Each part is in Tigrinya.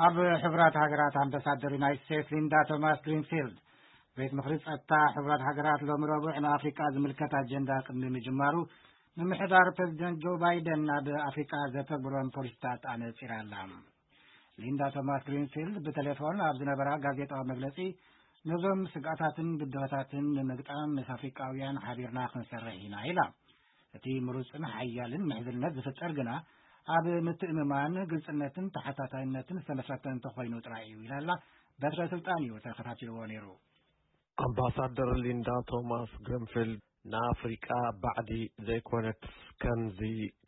ኣብ ሕቡራት ሃገራት ኣምባሳደር ዩናይትድ ስቴትስ ሊንዳ ቶማስ ግሪንፊልድ፣ ቤት ምኽሪ ጸጥታ ሕቡራት ሃገራት ሎሚ ረቡዕ ንኣፍሪቃ ዝምልከት ኣጀንዳ ቅድሚ ምጅማሩ፣ ምምሕዳር ፕሬዚደንት ጆ ባይደን ናብ ኣፍሪቃ ዘተግብሮም ፖሊሲታት ኣነጺራ ኣላ። ሊንዳ ቶማስ ግሪንፊልድ ብቴሌፎን ኣብ ዝነበራ ጋዜጣዊ መግለጺ፣ ነዞም ስግኣታትን ብድሆታትን ንምግጣም ምስ ኣፍሪቃውያን ሓቢርና ክንሰርሕ ኢና ኢላ። እቲ ምሩጽን ሓያልን ምሕዝነት ዝፍጠር ግና ኣብ ምትእምማን፣ ግልጽነትን ተሓታታይነትን ዝተመስረተ እንተኾይኑ ጥራይ እዩ ኢላላ። በትረ ስልጣን እዩ ተኸታቲልዎ ነይሩ። ኣምባሳደር ሊንዳ ቶማስ ግሪንፊልድ ንኣፍሪቃ ባዕዲ ዘይኮነትስ ከምዚ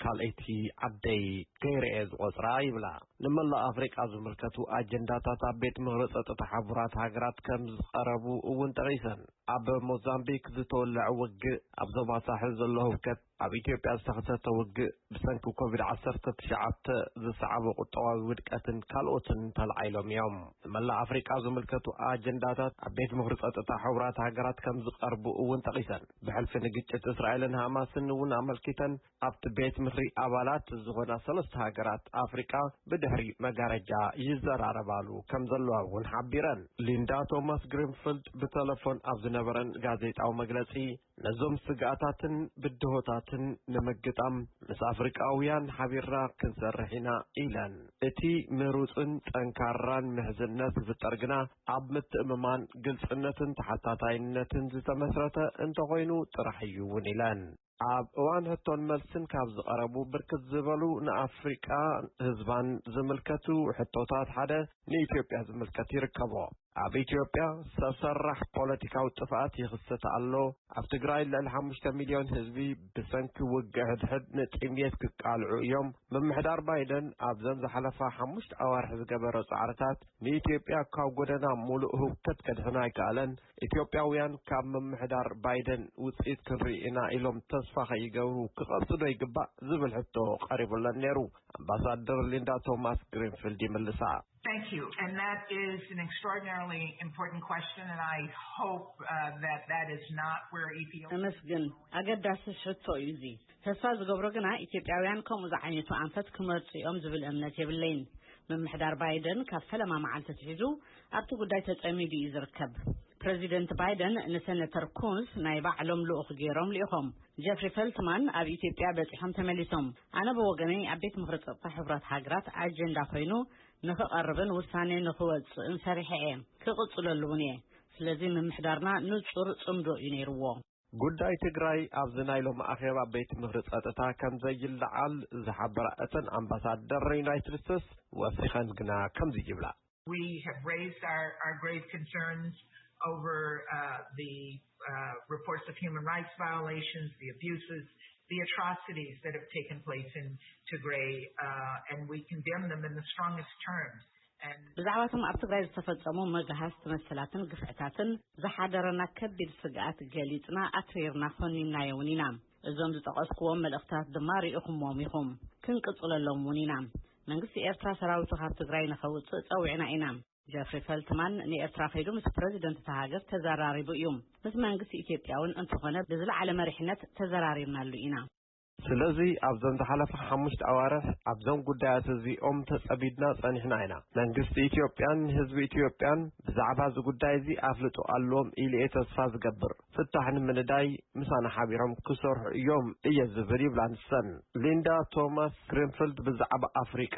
ካልኣይቲ ዓደይ ገይረ እየ ዝቖጽራ ይብላ። ንመላእ ኣፍሪቃ ዝምልከቱ ኣጀንዳታት ኣብ ቤት ምኽሪ ጸጥታ ሕቡራት ሃገራት ከም ዝቐረቡ እውን ጠቒሰን። ኣብ ሞዛምቢክ ዝተወለዐ ውግእ፣ ኣብ ዞባ ሳሕል ዘሎ ህውከት፣ ኣብ ኢትዮጵያ ዝተኸሰተ ውግእ፣ ብሰንኪ ኮቪድ ዓሰርተ ትሽዓተ ዝሰዓበ ቁጠባዊ ውድቀትን ካልኦትን ተላዒሎም እዮም። ንመላእ ኣፍሪቃ ዝምልከቱ ኣጀንዳታት ኣብ ቤት ምኽሪ ጸጥታ ሕቡራት ሃገራት ከም ዝቐርቡ እውን ጠቒሰን። ብሕልፊ ንግጭት እስራኤልን ሃማስን እውን ኣመልኪተን፣ ኣብቲ ቤት ምኽሪ ኣባላት ዝኾና ሰለስተ ሃገራት ኣፍሪቃ ብድሕሪ መጋረጃ ይዘራረባሉ ከም ዘለዋ እውን ሓቢረን። ሊንዳ ቶማስ ግሪንፊልድ ብተለፎን ኣብ ዝነበረን ጋዜጣዊ መግለጺ፣ ነዞም ስግኣታትን ብድሆታትን ንምግጣም ምስ ኣፍሪቃውያን ሓቢርና ክንሰርሕ ኢና ኢለን። እቲ ምሩጽን ጠንካራን ምሕዝነት ዝፍጠር ግና ኣብ ምትእምማን፣ ግልጽነትን ተሓታታይነትን ዝተመስረተ እንተኾይኑ ጥራሕ እዩ እውን ኢለን። ኣብ እዋን ሕቶን መልስን ካብ ዝቐረቡ ብርክት ዝበሉ ንኣፍሪቃ ህዝባን ዝምልከቱ ሕቶታት ሓደ ንኢትዮጵያ ዝምልከት ይርከቦ። ኣብ ኢትዮጵያ ሰብ ሰራሕ ፖለቲካዊ ጥፍኣት ይኽሰት ኣሎ። ኣብ ትግራይ ልዕሊ ሓሙሽተ ሚልዮን ህዝቢ ብሰንኪ ውግእ ሕድሕድ ንጥምየት ክቃልዑ እዮም። ምምሕዳር ባይደን ኣብዘን ዝሓለፋ ሓሙሽተ ኣዋርሕ ዝገበሮ ጻዕርታት ንኢትዮጵያ ካብ ጎደና ሙሉእ ህውከት ከድሕና ኣይከኣለን። ኢትዮጵያውያን ካብ ምምሕዳር ባይደን ውጽኢት ክንርኢ ኢና ኢሎም ተስፋ ከይገብሩ ክቐጽ ዶ ይግባእ ዝብል ሕቶ ቀሪቡለን ነይሩ። ኣምባሳደር ሊንዳ ቶማስ ግሪንፊልድ ይምልሳ። Thank you. And that is an extraordinarily important question, and I hope uh, that that is not where Ethiopia. እመስግን። ኣገዳሲ ሕቶ እዩ እዚ። ተስፋ ዝገብሮ ግና ኢትዮጵያውያን ከምኡ ዝዓይነቱ ኣንፈት ክመርጹ እዮም ዝብል እምነት የብለይን። ምምሕዳር ባይደን ካብ ፈለማ መዓልቲ ኣትሒዙ ኣብቲ ጉዳይ ተጸሚዱ እዩ ዝርከብ። ፕረዚደንት ባይደን ንሰነተር ኩንስ ናይ ባዕሎም ልኡኽ ገይሮም ልኢኾም። ጀፍሪ ፈልትማን ኣብ ኢትዮጵያ በጺሖም ተመሊሶም። ኣነ ብወገነይ ኣብ ቤት ምኽሪ ጸጥታ ሕቡራት ሃገራት ኣጀንዳ ኮይኑ ንኽቐርብን ውሳኔ ንኽወጽእን ሰሪሐ እየ። ክቕጽለሉ እውን እየ። ስለዚ ምምሕዳርና ንጹር ጽምዶ እዩ ነይርዎ። ጉዳይ ትግራይ ኣብዚ ናይ ሎሚ ኣኼባ ቤት ምኽሪ ጸጥታ ከም ዘይለዓል ዝሓበራ እተን ኣምባሳደር ዩናይትድ ስቴትስ ወሲኸን ግና ከምዚ ይብላ። We have raised our, our grave concerns over uh, the uh, reports of human rights violations, the abuses, the atrocities that have taken place in Tigray, uh, and we condemn them in the strongest terms. And ብዛዕባቶም ኣብ ትግራይ ዝተፈጸሙ መግሃስቲ መሰላትን ግፍዕታትን ዝሓደረና ከቢድ ስግኣት ገሊጽና ኣትሪርና ኮኒንናዮ እውን ኢና። እዞም ዝጠቐስኩዎም መልእኽትታት ድማ ርኢኹምዎም ኢኹም። ክንቅጽለሎም እውን ኢና። መንግስቲ ኤርትራ ሰራዊቱ ካብ ትግራይ ንኸውጽእ ጸዊዕና ኢና። ጀፍሪ ፈልትማን ንኤርትራ ከይዱ ምስ ፕረዚደንት እታ ሃገር ተዘራሪቡ እዩ። ምስ መንግስቲ ኢትዮጵያ እውን እንተኾነ ብዝለዓለ መሪሕነት ተዘራሪብናሉ ኢና። ስለዚ ኣብዘን ዝሓለፋ ሓሙሽተ ኣዋርሕ ኣብዞም ጉዳያት እዚኦም ተጸሚድና ጸኒሕና ኢና። መንግስቲ ኢትዮጵያን ህዝቢ ኢትዮጵያን ብዛዕባ እዚ ጉዳይ እዚ ኣፍልጦ ኣለዎም ኢሉ እየ ተስፋ ዝገብር። ፍታሕ ንምንዳይ ምሳና ሓቢሮም ክሰርሑ እዮም እየ ዝብል ይብላ ንሰን። ሊንዳ ቶማስ ግሪንፊልድ ብዛዕባ ኣፍሪቃ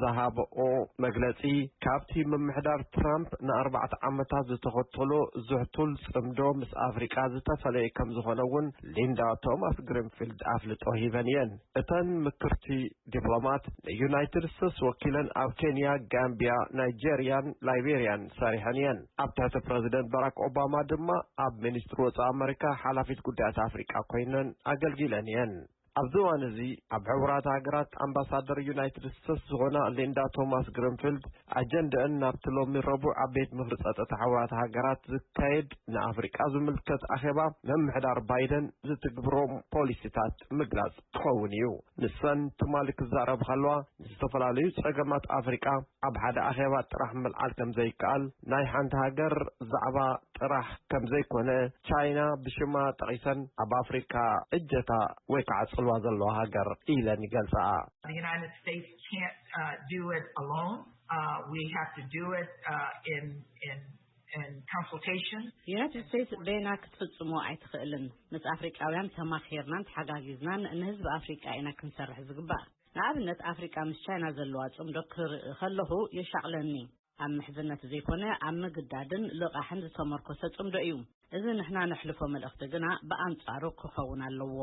ዝሃበኦ መግለጺ ካብቲ ምምሕዳር ትራምፕ ንኣርባዕተ ዓመታት ዝተኸተሎ ዝሕቱል ጽምዶ ምስ ኣፍሪቃ ዝተፈለየ ከም ዝኾነ እውን ሊንዳ ቶማስ ግሪንፊልድ ኣፍልጦ ሂበን እየን። እተን ምክርቲ ዲፕሎማት ንዩናይትድ ስቴትስ ወኪለን ኣብ ኬንያ፣ ጋምቢያ፣ ናይጄርያን ላይቤርያን ሰሪሐን እየን። ኣብ ትሕቲ ፕረዚደንት ባራክ ኦባማ ድማ ኣብ ሚኒስትሪ ወጻኢ ኣመሪካ ሓላፊት ጉዳያት ኣፍሪቃ ኮይነን ኣገልጊለን እየን። ኣብዚ እዋን እዚ ኣብ ሕቡራት ሃገራት ኣምባሳደር ዩናይትድ ስቴትስ ዝኾና ሊንዳ ቶማስ ግሪንፊልድ ኣጀንደአን ናብቲ ሎሚ ረቡዕ ኣብ ቤት ምኽሪ ጸጥታ ሕቡራት ሃገራት ዝካየድ ንኣፍሪቃ ዝምልከት ኣኼባ ምምሕዳር ባይደን ዝትግብሮም ፖሊሲታት ምግላጽ ክኸውን እዩ። ንሰን ትማሊ ክዛረባ ከለዋ ንዝተፈላለዩ ጸገማት ኣፍሪቃ ኣብ ሓደ ኣኼባ ጥራሕ ምልዓል ከም ዘይከኣል፣ ናይ ሓንቲ ሃገር ዛዕባ ጥራሕ ከም ዘይኮነ ቻይና ብሽማ ጠቒሰን ኣብ ኣፍሪካ እጀታ ወይ ከዓ ጽልዋ ዘለዋ ሃገር ኢለን ይገልጻኣ። The United States can't uh, do it alone. Uh, we have to do it uh, in in in consultation. ዩናይትድ ስቴትስ በይና ክትፍጽሞ ኣይትኽእልን። ምስ ኣፍሪቃውያን ተማኺርናን ተሓጋጊዝናን ንህዝቢ ኣፍሪቃ ኢና ክንሰርሕ ዝግባእ። ንኣብነት ኣፍሪቃ ምስ ቻይና ዘለዋ ጽምዶ ክርኢ ከለኹ የሻቕለኒ። ኣብ ምሕዝነት ዘይኮነ ኣብ ምግዳድን ልቓሕን ዝተመርኮሰ ጽምዶ እዩ። እዚ ንሕና ነሕልፎ መልእኽቲ ግና ብኣንጻሩ ክኸውን ኣለዎ።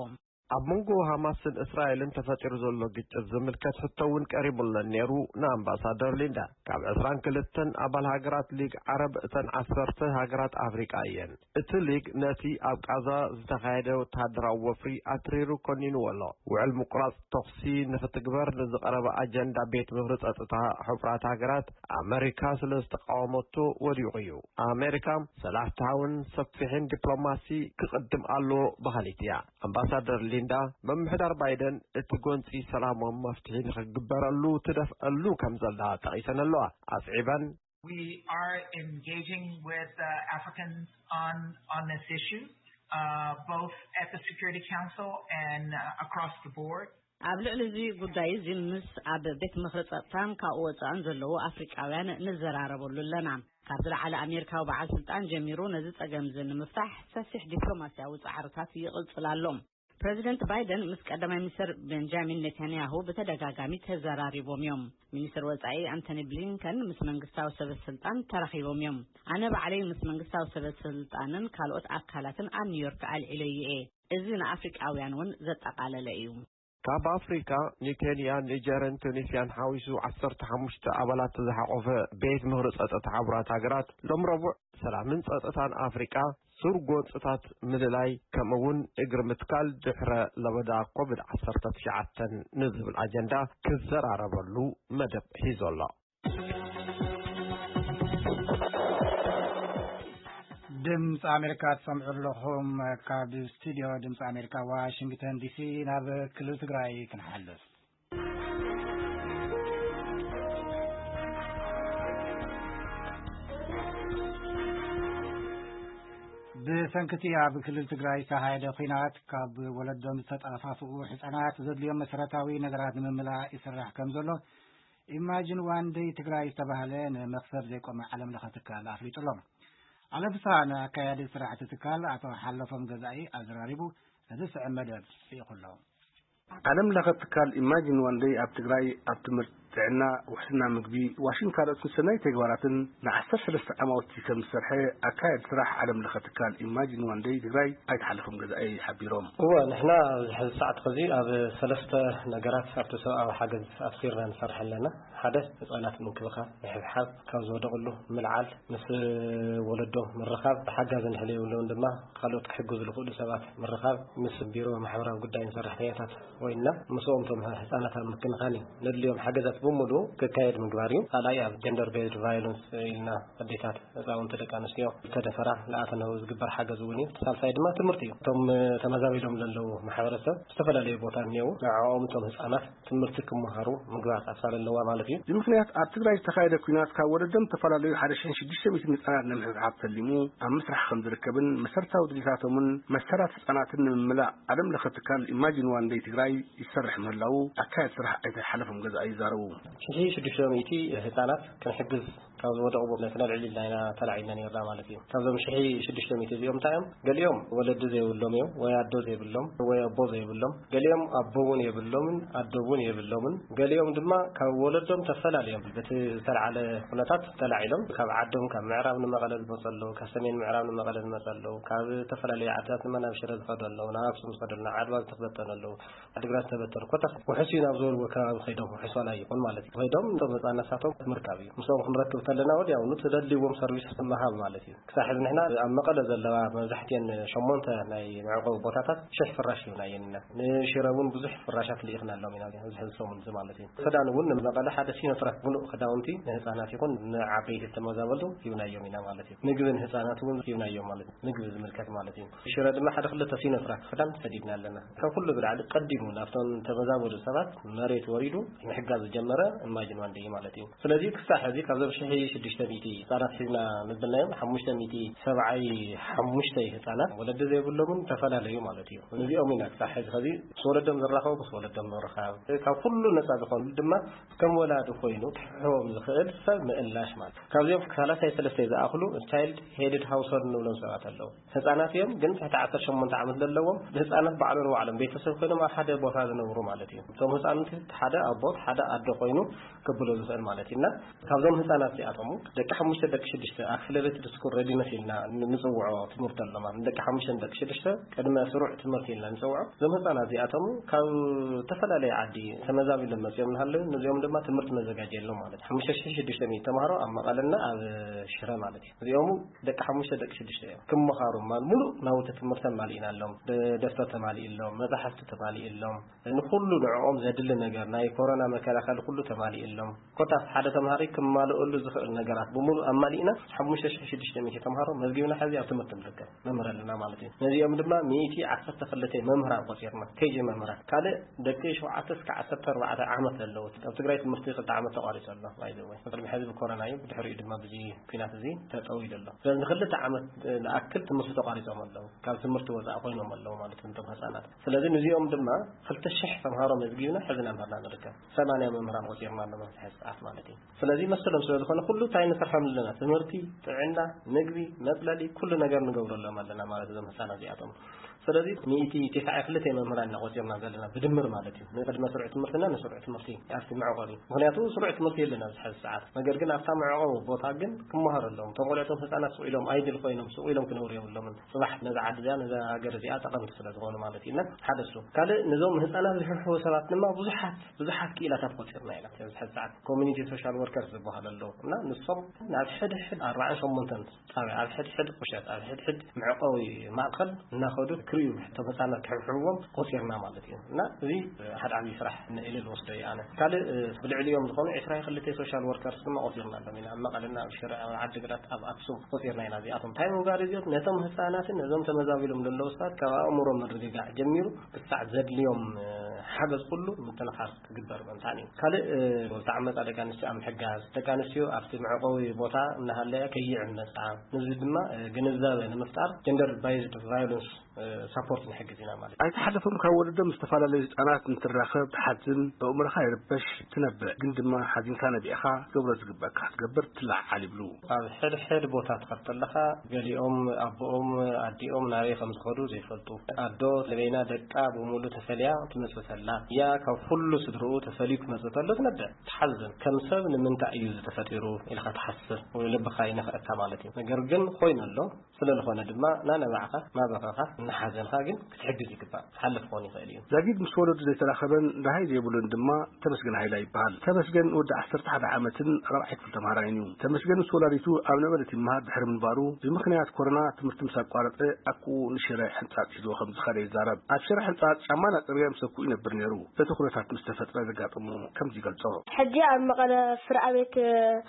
ኣብ መንጎ ሃማስን እስራኤልን ተፈጢሩ ዘሎ ግጭት ዝምልከት ሕቶ እውን ቀሪቡለን ነይሩ ንኣምባሳደር ሊንዳ። ካብ ዕስራን ክልተን ኣባል ሃገራት ሊግ ዓረብ እተን ዓሰርተ ሃገራት ኣፍሪቃ እየን። እቲ ሊግ ነቲ ኣብ ቃዛ ዝተኻየደ ወተሃደራዊ ወፍሪ ኣትሪሩ ኮኒንዎ ኣሎ። ውዕል ምቁራጽ ተኹሲ ንኽትግበር ንዝቐረበ ኣጀንዳ ቤት ምኽሪ ጸጥታ ሕቡራት ሃገራት ኣመሪካ ስለ ዝተቃወመቶ ወዲቑ እዩ። ኣመሪካ ሰላሕታውን ሰፊሕን ዲፕሎማሲ ክቕድም ኣለዎ በሃሊት እያ። ኣምባሳደር ሊንዳ፣ ምምሕዳር ባይደን እቲ ጎንጺ ሰላማዊ መፍትሒ ንኽግበረሉ ትደፍአሉ ከም ዘላ ጠቒሰን ኣለዋ። ኣስዒበን፣ We are engaging with uh, Africans on on this issue, uh, both at the Security Council and uh, across the board. ኣብ ልዕሊ እዚ ጉዳይ እዚ ምስ ኣብ ቤት ምኽሪ ጸጥታን ካብኡ ወጻእን ዘለዉ ኣፍሪቃውያን ንዘራረበሉ ኣለና። ካብ ዝለዓለ ኣሜሪካዊ በዓል ስልጣን ጀሚሩ ነዚ ጸገም እዚ ንምፍታሕ ሰፊሕ ዲፕሎማሲያዊ ጻዕርታት ይቕጽል ኣሎ። ፕረዚደንት ባይደን ምስ ቀዳማይ ሚኒስትር ቤንጃሚን ኔታንያሁ ብተደጋጋሚ ተዘራሪቦም እዮም። ሚኒስትር ወጻኢ ኣንቶኒ ብሊንከን ምስ መንግስታዊ ሰበ ስልጣን ተራኺቦም እዮም። ኣነ ባዕለይ ምስ መንግስታዊ ሰበ ስልጣንን ካልኦት ኣካላትን ኣብ ኒውዮርክ ኣልዒለዮ እየ። እዚ ንኣፍሪቃውያን እውን ዘጠቓለለ እዩ። ካብ ኣፍሪካ ንኬንያ፣ ኒጀርን ቱኒስያን ሓዊሱ ዓሰርተ ሓሙሽተ ኣባላት ዝሓቆፈ ቤት ምኽሪ ጸጥታ ሕቡራት ሃገራት ሎም ረቡዕ ሰላምን ጸጥታን ኣፍሪቃ ሱር ጎንጽታት ምልላይ ከምኡ እውን እግሪ ምትካል ድሕረ ለበዳ ኮቪድ ዓሰርተ ትሽዓተ ንዝብል ኣጀንዳ ክዘራረበሉ መደብ ሒዙ ኣሎ። ድምፂ ኣሜሪካ ትሰምዑ ኣለኹም። ካብ ስቱዲዮ ድምፂ ኣሜሪካ ዋሽንግተን ዲሲ ናብ ክልል ትግራይ ክንሓልፍ። ብሰንክቲ ኣብ ክልል ትግራይ ዝተኻየደ ኲናት ካብ ወለዶም ዝተጠፋፍኡ ህፃናት ዘድልዮም መሰረታዊ ነገራት ንምምላእ ይስራሕ ከም ዘሎ ኢማጂን ዋን ደይ ትግራይ ዝተባህለ ንመኽሰብ ዘይቆመ ዓለም ለኸ ትካል ኣፍሊጡ ኣሎ። ዓለም ፍስሃ ንኣካያዲ ስራሕቲ ትካል ኣቶ ሓለፎም ገዛኢ ኣዘራሪቡ ነዚ ዝስዕብ መደብ ልኢኹ ኣሎ። ዓለም ለኸ ትካል ኢማጂን ዋን ደይ ኣብ ትግራይ ኣብ ትምህርቲ፣ ጥዕና፣ ውሕስና ምግቢ፣ ዋሽን ካልኦት ሰናይ ተግባራትን ንዓሰርተ ሰለስተ ዓማውቲ ከም ዝሰርሐ ኣካያዲ ስራሕ ዓለም ለኸ ትካል ኢማጂን ዋን ደይ ትግራይ ኣይተ ሓለፎም ገዛኢ ሓቢሮም። እወ፣ ንሕና ኣብዚ ሕዚ ሰዓት ኸዚ ኣብ ሰለስተ ነገራት ኣብቲ ሰብኣዊ ሓገዝ ኣትኪርና ንሰርሕ ኣለና። ሓደ፣ ህፃናት ምንክብኻብ፣ ምሕብሓብ፣ ካብ ዝወደቕሉ ምልዓል፣ ምስ ወለዶ ምርኻብ፣ ሓጋዚ እንድሕር የብሎም ድማ ካልኦት ክሕግዙ ዝኽእሉ ሰባት ምርኻብ፣ ምስ ቢሮ ማሕበራዊ ጉዳይን ሰራሕተኛታት ኮይንና ምስኦም እቶም ህፃናት ኣብ ምክንኻን እዩ ነድልዮም ሓገዛት ብምሉኡ ክካየድ ምግባር እዩ። ካልኣይ ኣብ ጀንደር ቤዝድ ቫዮለንስ ኢልና ኣዴታት፣ ህፃውንቲ፣ ደቂ ኣንስትዮ ዝተደፈራ ዝኣተነው ዝግበር ሓገዝ እውን እዩ። ሳልሳይ ድማ ትምህርቲ እዩ። እቶም ተመዛቢሎም ዘለዉ ማሕበረሰብ ዝተፈላለዩ ቦታ እኒአው ንዕኦም እቶም ህፃናት ትምህርቲ ክመሃሩ ምግባር ኣሳል ኣለዋ ማለት እዩ። ብምክንያት ኣብ ትግራይ ዝተኻየደ ኲናት ካብ ወለዶም ዝተፈላለዩ ሓደ ሽሕን ሽዱሽተ ሚእትን ህፃናት ንምሕብሓብ ተሊሙ ኣብ ምስራሕ ከም ዝርከብን መሰረታዊ ድሌታቶምን መሰላት ህፃናትን ንምምላእ ዓለም ለኸ ትካል ኢማጂን ዋን ደይ ትግራይ ይሰርሕ ምህላው ኣካየድ ስራሕ ኣይተ ሓለፎም ገዛኢ ይዛረቡ። ሽሕን ሽዱሽተ ሚእቲ ህፃናት ክንሕግዝ ካብ ዝወደቑ ነቲ ነልዕል ኢልና ኢና ተላዒልና ነርና ማለት እዩ። ካብዞም ሽሕን ሽዱሽተ ሚእቲ እዚኦም እንታይ እዮም? ገሊኦም ወለዲ ዘይብሎም እዮም፣ ወይ ኣዶ ዘይብሎም፣ ወይ ኣቦ ዘይብሎም። ገሊኦም ኣቦ እውን የብሎምን ኣዶ እውን የብሎምን። ገሊኦም ድማ ካብ ወለዶም ተፈላልዮም በቲ ዝተለዓለ ኩነታት ተላዒሎም ካብ ዓዶም ካብ ምዕራብ ንመቐለ ዝመፁ ኣለዉ፣ ካብ ሰሜን ምዕራብ ንመቐለ ዝመፁ ኣለዉ፣ ካብ ዝተፈላለዩ ዓድታት ድማ ናብ ሽረ ዝኸዱ ኣለዉ፣ ናብ ኣክሱም ዝኸዱ ኣለዉ፣ ናብ ዓድዋ ዝተበተኑ ኣለዉ። ዓድግራት ዝተበተኑ ኮታ ውሕስ እዩ ናብ ዝበልዎ ከባቢ ከይዶም ውሕስ ዋላ ይኹን ማለት እዩ። ከይዶም እቶም ህፃናት ሳቶም ምርካብ እዩ። ምስኦም ክንረክብ ከለና ወዲያውኑ ተደልይዎም ሰርቪስ ምሃብ ማለት እዩ። ክሳብ ሕዚ ንሕና ኣብ መቐለ ዘለዋ መብዛሕትኤን ሸሞንተ ናይ መዕቆቢ ቦታታት ሽሕ ፍራሽ ሂብና እየን ኢና። ንሽረ እውን ብዙሕ ፍራሻት ልኢኽናሎም ኢና ኣብዚ ሕዚ ሰሙን እዚ ማለት እዩ። ክዳን እውን ንመቐለ ሲኖትራክ ምሉእ ክዳውንቲ ንህፃናት ይኹን ንዓበይቲ ተመዛበልቱ ሂብናዮም ኢና ማለት እዩ። ምግቢ ንህፃናት እውን ሂብናዮም ማለት እዩ። ምግቢ ዝምልከት ማለት እዩ። ሽረ ድማ ሓደ ክልተ ሲኖትራክ ክዳን ሰዲድና ኣለና። ካብ ኩሉ ብላዕሊ ቀዲሙ ናብቶም ተመዛበሉ ሰባት መሬት ወሪዱ ምሕጋዝ ዝጀመረ እማጅን ዋንደይ ማለት እዩ። ስለዚ ክሳብ ሕዚ ካብዞም ሽሕ ሽዱሽተ ሚእቲ ህፃናት ሒዝና ምብልናዮም ሓሙሽተ ሚእቲ ሰብዓይ ሓሙሽተ ህፃናት ወለዲ ዘይብሎምን ተፈላለዩ ማለት እዩ። እዚኦም ኢና ክሳብ ሕዚ ከዚ ምስ ወለዶም ዝራኸቡ ምስ ወለዶም ምርኻብ፣ ካብ ኩሉ ነፃ ዝኾኑ ድማ ከም ወላዲ ኮይኑ ክሕዎም ዝኽእል ሰብ ምእላሽ ማለት እዩ። ካብዚኦም ሰላሳ ሰለስተ ዝኣኽሉ ቻይልድ ሄድድ ሃውስሆልድ ንብሎም ሰባት ኣለዉ። ህፃናት እዮም፣ ግን ትሕቲ ዓሰርተ ሸሞንተ ዓመት ዘለዎም ብህፃናት ባዕሎም ንባዕሎም ቤተሰብ ኮይኖም ኣብ ሓደ ቦታ ዝነብሩ ማለት እዩ። እቶም ህፃናት ሓደ ኣቦት ሓደ ኣዶ ኮይኑ ክብሎ ዝኽእል ማለት እዩ። እና ካብዞም ህፃናት እዚኣቶም ደቂ ሓሙሽተ ደቂ ሽዱሽተ ኣክሰለሬትድ ስኩል ሬዲነስ ኢልና ንፅውዖ ትምህርቲ ኣሎ ማለት ደቂ ሓሙሽተ ደቂ ሽዱሽተ ቅድመ ስሩዕ ትምህርቲ ኢልና ንፅውዖ። እዞም ህፃናት እዚኣቶም ካብ ዝተፈላለየ ዓዲ ተመዛቢሎም መፅኦም እናሃለዉ ነዚኦም ድማ ትምህርቲ ነዘጋጀሎም ማለት ሓሙሽተ ሽሕ ሽዱሽተ ሚእቲ ተምሃሮ ኣብ መቐለና ኣብ ሽረ ማለት እዩ። እዚኦም ደቂ ሓሙሽተ ደቂ ሽዱሽተ እዮም። ክመሃሩ ማል ሙሉእ ናውቲ ትምህርቲ ኣማሊእናሎም፣ ደ- ደፍተር ተማሊእሎም፣ መፅሓፍቲ ተማሊእሎም፣ ንኩሉ ንዕኦም ዘድሊ ነገር ናይ ኮሮና መከላኸሊ ኩሉ ተማሊእሎም። ኮታስ ሓደ ተምሃሪ ክማልእሉ ዝኽእል ነገራት ብምሉእ ኣማሊእና ሓሙሽተ ሽሕ ሽዱሽተ ሚእቲ ተምሃሮ መዝጊብና ሕዚ ኣብ ትምህርቲ ንርከብ መምህር ኣለና ማለት እዩ። ነዚኦም ድማ ሚእቲ ዓሰርተ ክልተ መምህራን ቆፂርና ኬጂ መምህራን ካልእ ደቂ ሸውዓተ እስከ ዓሰርተ ኣርባዕተ ዓመት ዘለዉ ኣብ ትግራይ ትምህርቲ ክልተ ዓመት ተቋሪፁ ኣሎ። ባይዘወይ ቅድሚ ሕዚ ብኮሮና እዩ፣ ብድሕሪኡ ድማ ብዚ ኩናት እዚ ተጠዊሉ ኣሎ። ስለዚ ንክልተ ዓመት ንኣክል ትምህርቲ ተቋሪፆም ኣለዉ፣ ካብ ትምህርቲ ወፃኢ ኮይኖም ኣለዉ ማለት እዮም እቶም ህፃናት። ስለዚ ንዚኦም ድማ ክልተ ሽሕ ተምሃሮ መዝጊብና ሕዚ እናምሃርና ንርከብ። ሰማንያ መምህራን ቆፂርና ኣለና ኣብዚ ሕዚ ሰዓት ማለት እዩ። ስለዚ መሰሎም ስለ ዝኾነ ኩሉ እንታይ ንሰርሖም ኣለና፣ ትምህርቲ፣ ጥዕና፣ ምግቢ፣ መፅለሊ ኩሉ ነገር ንገብረሎም ኣለና ማለት እዞም ህፃናት እዚኣቶም። ስለዚ ሚእቲ ቴስዓ ክልተ መምህራን ኢና ቆፂርና ዘለና ብድምር ማለት እዩ፣ ንቅድመ ስሩዕ ትምህርትና ንስሩዕ ትምህርቲ ኣብቲ መዕቆቢ። ምክንያቱ ስሩዕ ትምህርቲ የለን ኣብዚ ሕዚ ሰዓት፣ ነገር ግን ኣብታ መዕቆቢ ቦታ ግን ክመሃሩ ኣለዎም። እቶም ቆልዕቶም ህፃናት ስቕ ኢሎም ኣይድል ኮይኖም ስቕ ኢሎም ክነብሩ የብሎምን። ፅባሕ ነዛ ዓዲ እዚኣ ነዛ ሃገር እዚኣ ጠቐምቲ ስለ ዝኾኑ ማለት እዩ። እና ሓደ እሱ ካልእ ነዞም ህፃናት ዝሕብሕቡ ሰባት ድማ ብዙሓት ብዙሓት ክኢላታት ቆፂርና ኢና ኣብዚ ሕዚ ሰዓት ኮሚኒቲ ሶሻል ወርከርስ ዝበሃሉ ኣለዉ። እና ንሶም ናብ ሕድሕድ ኣርባዓን ሸሞንተን ጣብያ ኣብ ሕድሕድ ቁሸት ኣብ ሕድሕድ መዕቆቢ ማእከል እናኸዱ ክርእዩ እቶም ህፃናት ክሕብሕብዎም ቆፂርና ማለት እዩ። እና እዚ ሓደ ዓብዪ ስራሕ ኢለ ዝወስዶ እዩ ኣነ። ካልእ ብልዕሊኦም ዝኾኑ ዕስራ ክልተ ሶሻል ወርከርስ ድማ ቆፂርና ኣለና ኣብ መቐለና ኣብ ሽረ ኣብ ዓዲግራት ኣብ ኣክሱም ቆፂርና ኢና። እዚኣቶም እንታይ ምንጋር እዚኦም ነቶም ህፃናትን ነዞም ተመዛቢሎም ዘለዉ ሰባት ካብ ኣእምሮ ምርግጋዕ ጀሚሩ ክሳዕ ዘድልዮም ሓገዝ ኩሉ ምትንኻፍ ክግበር ምእንታን እዩ። ካልእ ዝተዓመፃ ደቂ ኣንስትዮ ኣብ ምሕጋዝ ደቂ ኣንስትዮ ኣብቲ መዕቆቢ ቦታ እናሃለያ ከይዕመፃ ንዚ ድማ ግንዛበ ንምፍጣር ጀንደር ባይዝድ ቫዮለንስ ሳፖርት ንሕግዝ ኢና ማለት እዩ። ኣይተሓለፎም ካብ ወለዶም ዝተፈላለዩ ህፃናት እንትራኸብ ትሓዝን ኣእምሮኻ ይርበሽ ትነብዕ ግን ድማ ሓዚንካ ነቢዕኻ ገብሮ ዝግበእካ ክትገብር ትለዓዓል ይብሉ። ኣብ ሕድሕድ ቦታ ትኸድ ከለኻ ገሊኦም ኣቦኦም ኣዲኦም ናበይ ከም ዝኸዱ ዘይፈልጡ ኣዶ ለበይና ደቃ ብምሉ ተፈልያ ትመፅእ ተላ እያ ካብ ኩሉ ስድርኡ ተፈልዩ ክመፅእ ተሎ ትነብዕ ትሓዝን ከም ሰብ ንምንታይ እዩ ዝተፈጢሩ ኢልካ ትሓስብ ወይ ልብኻ ይነኽእካ ማለት እዩ። ነገር ግን ኮይኑ ኣሎ ስለ ዝኾነ ድማ ናነባዕኻ ናበኸኻ እናሓዘንካ ግን ክትሕግዝ ይግባእ። ዝሓልፍ ክኾን ይኽእል እዩ። ዛጊድ ምስ ወለዱ ዘይተራኸበን ደሃይ ዘይብሉን ድማ ተመስገን ሃይላ ይበሃል። ተመስገን ወዲ ዓሰርተ ሓደ ዓመትን ራብዓይ ክፍሊ ተምሃራይን እዩ። ተመስገን ምስ ወላዲቱ ኣብ ነበረት ይመሃር ድሕሪ ምንባሩ ብምኽንያት ኮሮና ትምህርቲ ምስ ኣቋረፀ ኣኩኡ ንሽረ ሕንፃፅ ሒዝዎ ከም ዝኸደ ይዛረብ። ኣብ ሽረ ሕንፃፅ ጫማ እናፀረገ ምስ ኣኩኡ ይነብር ነይሩ። እቲ ኩነታት ምስ ተፈጥረ ዘጋጠሞ ከምዚ ይገልፆ። ሕጂ ኣብ መቐለ ፍርኣ ቤት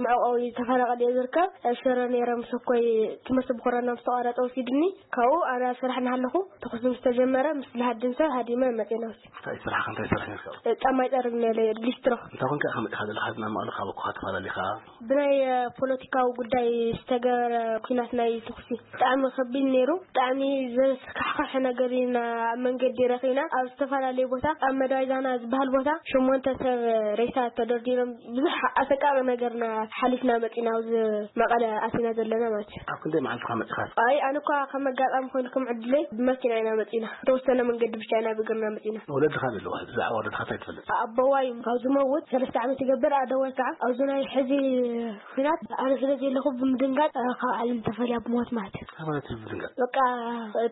መዕቆቢ ተፈናቐል እየ ዝርከብ። ሽረ ነይረ ምስ ኣኮይ ትምህርቲ ብኮሮና ምስ ተቋረፀ ወሲድኒ። ካብኡ ኣነ ኣብ ስራሕ እናሃለኹ ተኹሲ ምስ ተጀመረ ምስ ዝሃድም ሰብ ሃዲመ መፅየ ናብዚ። እንታይ ስራሕ እንታይ ስራሕ ነርካ? ጫማ ይፀርግ ነለ ሊስትሮ። እንታይ ኮንካ ኢኻ መፂኻ ዘለኻ ናብ መቐለ ካብ ኣኮኻ ተፈላለኻ? ብናይ ፖለቲካዊ ጉዳይ ዝተገበረ ኩናት ናይ ተኹሲ ብጣዕሚ ከቢድ ነይሩ። ብጣዕሚ ዘስካሕክሕ ነገር ኢና ኣብ መንገዲ ረኺና ኣብ ዝተፈላለዩ ቦታ ኣብ መዳይ ዛና ዝበሃል ቦታ ሸሞንተ ሰብ ሬሳ ተደርዲሮም ብዙሕ ኣሰቃቂ ነገርና ሓሊፍና መፂና ኣብዚ መቐለ ኣቲና ዘለና ማለት እዩ። ኣብ ክንደይ መዓልትኻ መፂኻ? ኣይ ኣነ እኳ ከም ኣጋጣሚ ኮይኑ ከም ዕድለይ ብመኪና ኢና መፂና። ተወሰነ መንገዲ ብቻ ኢና ብእግርና መፂና። ወለድኻ ኣለዋ ብዛዕባ ወለድኻ እንታይ ትፈልጥ? ኣቦዋይ ካብ ዝመውት ሰለስተ ዓመት ይገብር ኣደዋይ ከዓ ኣብዚ ናይ ሕዚ ኩናት ኣነ ስለ ዘለኹ ብምድንጋፅ ካብ ዓለም ተፈልያ ብሞት ማለት እዩ። ካብ ዓለም ብምድንጋፅ? በቃ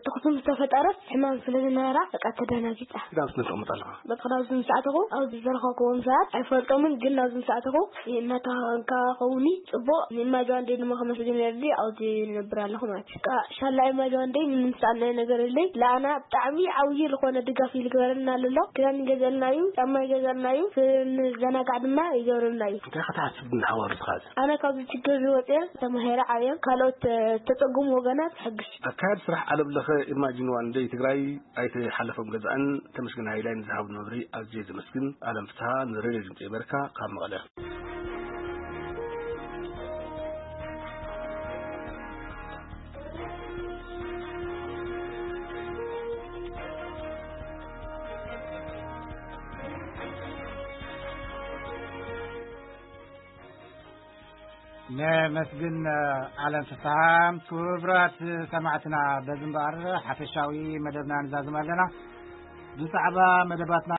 ተኹሲ ምስ ተፈጠረስ ሕማም ስለ ዝነበራ በቃ ተደናጊፃ። ናብ ስነ ተቐምጥ ኣለኻ? በቃ ናብዚ ምስ ኣተኹ ኣብዚ ዝረኸብኩዎም ሰባት ኣይፈልጦምን ግን ናብዚ ምስ ኣተኹ እናተኸንካ ከውኒ ፅቡቕ ንማጅዋ እንደ ድማ ከመስግን ነርዲ ኣብዚ ንነብር ኣለኹ ማለት እዩ። በቃ ሻላ ማጅዋ እንደ ንምንሳእ ናይ ነገር ርልይ ለኣና ብጣዕሚ ዓብዪ ዝኾነ ድጋፍ እዩ ዝግበረልና ኣሎ። ክዳን ይገዘልና እዩ፣ ጫማ ይገዘልና እዩ፣ ክንዘናጋዕ ድማ ይገብረልና እዩ። እንታይ ክትሓስብ ንሓዋሩ ትኻዝ? ኣነ ካብዚ ችግር ዝወፅየ ተማሄረ ዓብየ ካልኦት ተፀጉሙ ወገናት ሕግዝ። ኣካያድ ስራሕ ዓለም ለኸ ኢማጂን ዋን ደይ ትግራይ ኣይተ ሓለፎም ገዛእን ተመስገን ሃይላይን ዝሃቡ መብሪ ኣዝየ ዘመስግን። ኣለም ፍትሃ ንሬድዮ ድምፂ ኣሜሪካ ካብ መቐለ። ነመስግን ኣለም ፍስሃ። ክቡራት ሰማዕትና፣ በዚ እምበኣር ሓፈሻዊ መደብና ንዛዝም ኣለና። ብዛዕባ መደባትና